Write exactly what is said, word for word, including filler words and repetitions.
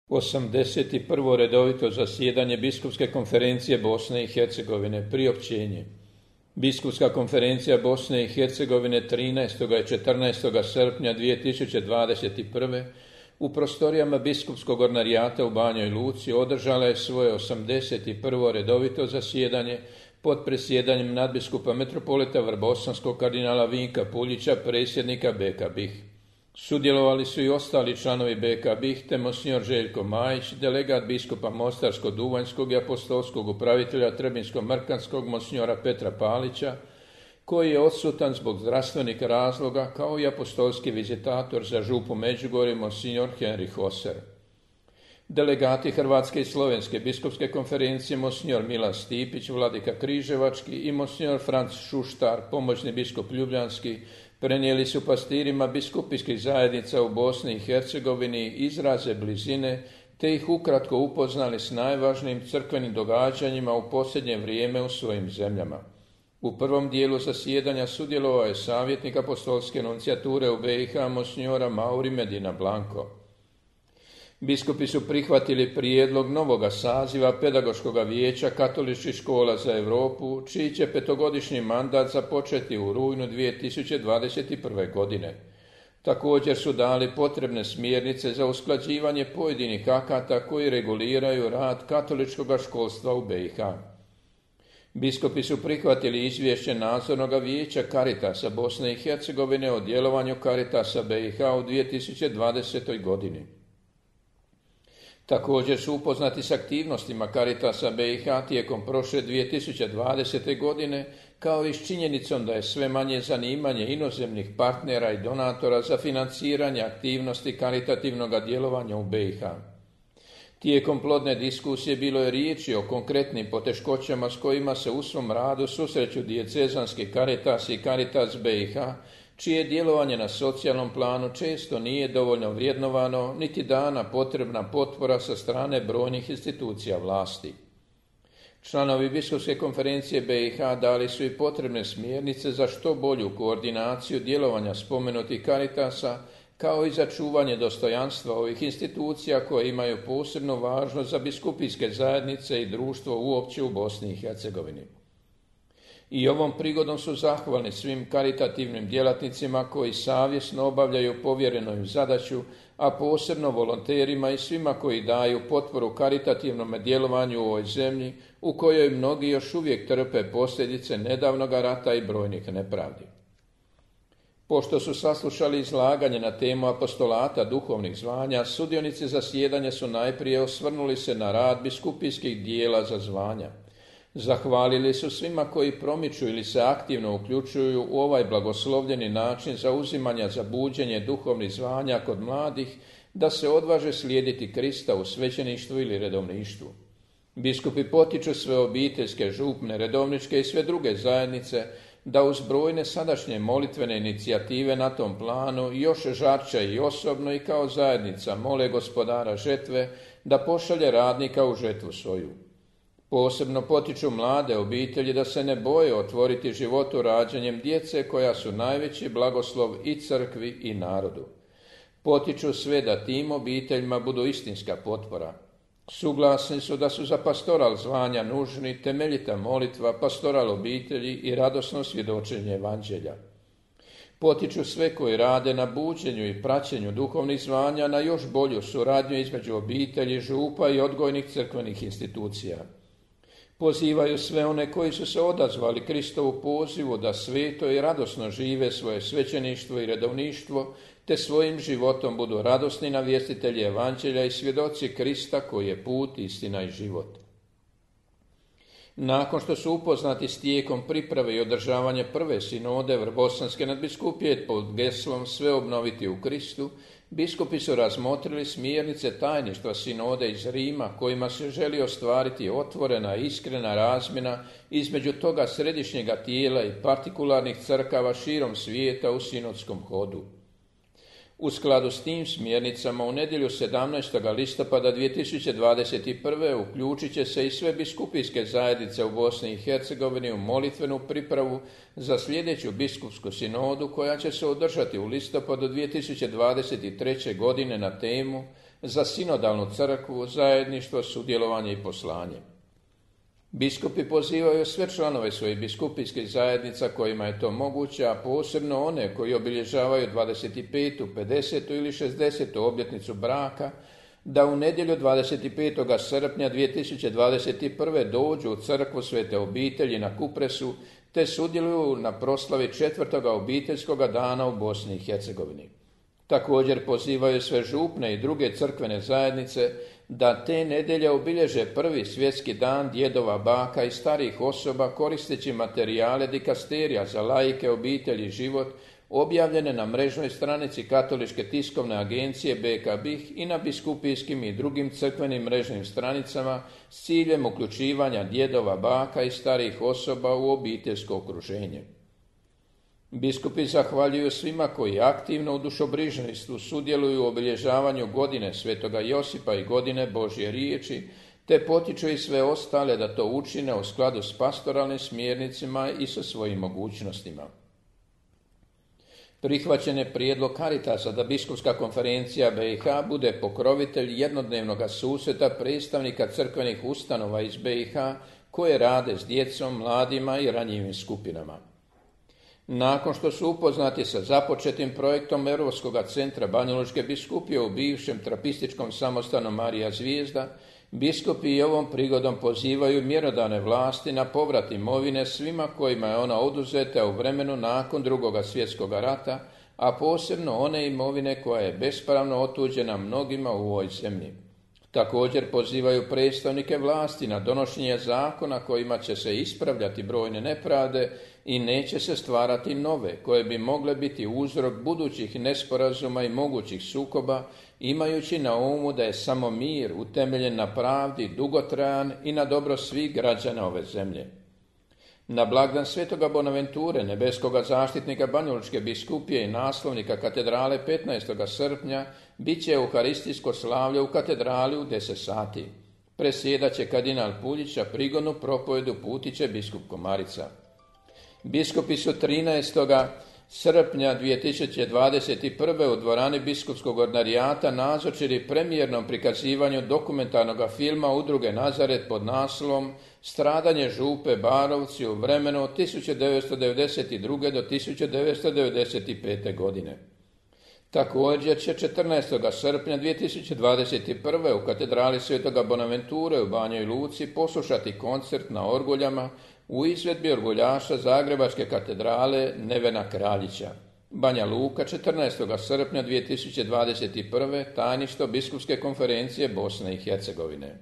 osamdeset prvo redovito zasjedanje Biskupske konferencije Bosne i Hercegovine. Priopćenje. Biskupska konferencija Bosne i Hercegovine trinaestog i četrnaestog srpnja dvije tisuće dvadeset prve. u prostorijama Biskupskog ordinarijata u Banjoj Luci održala je svoje osamdeset prvo redovito zasjedanje pod presjedanjem nadbiskupa metropolita Vrbosanskog kardinala Vinka Puljića, predsjednika B K B I H. Sudjelovali su i ostali članovi B K B I H te monsignor Željko Majić, delegat biskupa Mostarsko-Duvanjskog i apostolskog upravitelja Trebinsko-Mrkanskog monsignora Petra Palića, koji je odsutan zbog zdravstvenih razloga, kao i apostolski vizitator za župu Međugorje monsignor Henri Hoser. Delegati Hrvatske i Slovenske biskupske konferencije monsignor Milan Stipić, vladika Križevački, i monsignor Franc Šuštar, pomoćni biskup Ljubljanski, prenijeli su pastirima biskupijskih zajednica u Bosni i Hercegovini izraze blizine, te ih ukratko upoznali s najvažnijim crkvenim događanjima u posljednje vrijeme u svojim zemljama. U prvom dijelu zasjedanja sudjelovao je savjetnik apostolske nuncijature u B i H monsignora Mauri Medina Blanco. Biskupi su prihvatili prijedlog novoga saziva pedagoškog vijeća katoličkih škola za Europu, čiji će petogodišnji mandat započeti u rujnu dvije tisuće dvadeset prve. godine. Također su dali potrebne smjernice za usklađivanje pojedinih akata koji reguliraju rad katoličkog školstva u B i H. Biskupi su prihvatili izvješće nadzornog vijeća Caritasa Bosne i Hercegovine o djelovanju Caritasa B i H u dvije tisuće dvadesetoj. godini. Također su upoznati s aktivnostima Caritasa B i H tijekom prošle dvije tisuće dvadesete. godine, kao i s činjenicom da je sve manje zanimanje inozemnih partnera i donatora za financiranje aktivnosti karitativnog djelovanja u B i H. Tijekom plodne diskusije bilo je riječi o konkretnim poteškoćama s kojima se u svom radu susreću dijecezanski Caritas i Caritas B i H, čije djelovanje na socijalnom planu često nije dovoljno vrijednovano, niti dana potrebna potpora sa strane brojnih institucija vlasti. Članovi Biskupske konferencije B i H dali su i potrebne smjernice za što bolju koordinaciju djelovanja spomenutih Caritasa, kao i za čuvanje dostojanstva ovih institucija koje imaju posebnu važnost za biskupijske zajednice i društvo uopće u Bosni i Hercegovini. I ovom prigodom su zahvalni svim karitativnim djelatnicima koji savjesno obavljaju povjerenu im zadaću, a posebno volonterima i svima koji daju potporu karitativnom djelovanju u ovoj zemlji, u kojoj mnogi još uvijek trpe posljedice nedavnog rata i brojnih nepravdi. Pošto su saslušali izlaganje na temu apostolata duhovnih zvanja, sudionici zasjedanja su najprije osvrnuli se na rad biskupijskih dijela za zvanja. Zahvalili su svima koji promiču ili se aktivno uključuju u ovaj blagoslovljeni način zauzimanja za buđenje duhovnih zvanja kod mladih, da se odvaže slijediti Krista u svećeništvu ili redovništvu. Biskupi potiču sve obiteljske, župne, redovničke i sve druge zajednice da uz brojne sadašnje molitvene inicijative na tom planu još žarče i osobno i kao zajednica mole Gospodara žetve da pošalje radnika u žetvu svoju. Posebno potiču mlade obitelji da se ne boje otvoriti životu rađanjem djece koja su najveći blagoslov i crkvi i narodu. Potiču sve da tim obiteljima budu istinska potpora. Suglasni su da su za pastoral zvanja nužni temeljita molitva, pastoral obitelji i radosno svjedočenje evanđelja. Potiču sve koji rade na buđenju i praćenju duhovnih zvanja na još bolju suradnju između obitelji, župa i odgojnih crkvenih institucija. Pozivaju sve one koji su se odazvali Kristovu pozivu da sveto i radosno žive svoje svećeništvo i redovništvo, te svojim životom budu radosni navjestitelji evanđelja i svjedoci Krista koji je put, istina i život. Nakon što su upoznati s tijekom priprave i održavanje prve sinode Vrbosanske nadbiskupije pod geslom Sve obnoviti u Kristu, biskupi su razmotrili smjernice tajništva sinode iz Rima, kojima se želi ostvariti otvorena i iskrena razmjena između toga središnjega tijela i partikularnih crkava širom svijeta u sinodskom hodu. U skladu s tim smjernicama u nedjelju sedamnaestog listopada dvije tisuće dvadeset prve. uključit će se i sve biskupijske zajednice u Bosni i Hercegovini u molitvenu pripravu za sljedeću biskupsku sinodu koja će se održati u listopadu dvije tisuće dvadeset treće. godine na temu za sinodalnu crkvu, zajedništvo, sudjelovanje i poslanje. Biskupi pozivaju sve članove svojih biskupijskih zajednica kojima je to moguće, a posebno one koji obilježavaju dvadeset petu, pedesetu ili šezdesetu obljetnicu braka, da u nedjelju dvadeset petog srpnja dvije tisuće dvadeset prve. dođu u crkvu Svete obitelji na Kupresu te sudjeluju na proslavi četvrtoga obiteljskoga dana u Bosni i Hercegovini. Također pozivaju sve župne i druge crkvene zajednice da te nedjelje obilježe prvi svjetski dan djedova, baka i starih osoba koristeći materijale dikasterija za laike, obitelji i život objavljene na mrežnoj stranici Katoličke tiskovne agencije B K B I H i na biskupijskim i drugim crkvenim mrežnim stranicama s ciljem uključivanja djedova, baka i starih osoba u obiteljsko okruženje. Biskupi zahvaljuju svima koji aktivno u dušobrižništvu sudjeluju u obilježavanju godine Svetoga Josipa i godine Božje riječi, te potiču i sve ostale da to učine u skladu s pastoralnim smjernicima i sa svojim mogućnostima. Prihvaćen je prijedlog Caritasa da Biskupska konferencija B i H bude pokrovitelj jednodnevnog susreta predstavnika crkvenih ustanova iz B i H koje rade s djecom, mladima i ranjivim skupinama. Nakon što su upoznati sa započetim projektom Europskog centra Banjalučke biskupije u bivšem trapističkom samostanu Marija Zvijezda, biskupi i ovom prigodom pozivaju mjerodavne vlasti na povrat imovine svima kojima je ona oduzeta u vremenu nakon Drugog svjetskog rata, a posebno one imovine koja je bespravno otuđena mnogima u ovoj zemlji. Također pozivaju predstavnike vlasti na donošenje zakona kojima će se ispravljati brojne nepravde i neće se stvarati nove, koje bi mogle biti uzrok budućih nesporazuma i mogućih sukoba, imajući na umu da je samo mir utemeljen na pravdi dugotrajan i na dobro svih građana ove zemlje. Na blagdan Svetoga Bonaventure, nebeskoga zaštitnika Banjalučke biskupije i naslovnika katedrale petnaestog srpnja, bit će euharistijsko slavlje u katedrali u deset sati. Presjedat će kardinal Puljić, a prigodnu propovedu putit će biskup Komarica. Biskupi su trinaestog srpnja dvije tisuće dvadeset prve. u dvorani biskupskog ordinarijata nazočili premijernom prikazivanju dokumentarnog filma Udruge Nazaret pod naslovom Stradanje župe Barovci u vremenu od tisuću devetsto devedeset druge. do tisuću devetsto devedeset pete. godine. Također će četrnaestog srpnja dvije tisuće dvadeset prve. u katedrali Svetoga Bonaventure u Banjoj Luci poslušati koncert na orguljama u izvedbi orguljaša Zagrebačke katedrale Nevena Kraljića. Banja Luka, četrnaestog srpnja dvije tisuće dvadeset prve. Tajništvo Biskupske konferencije Bosne i Hercegovine.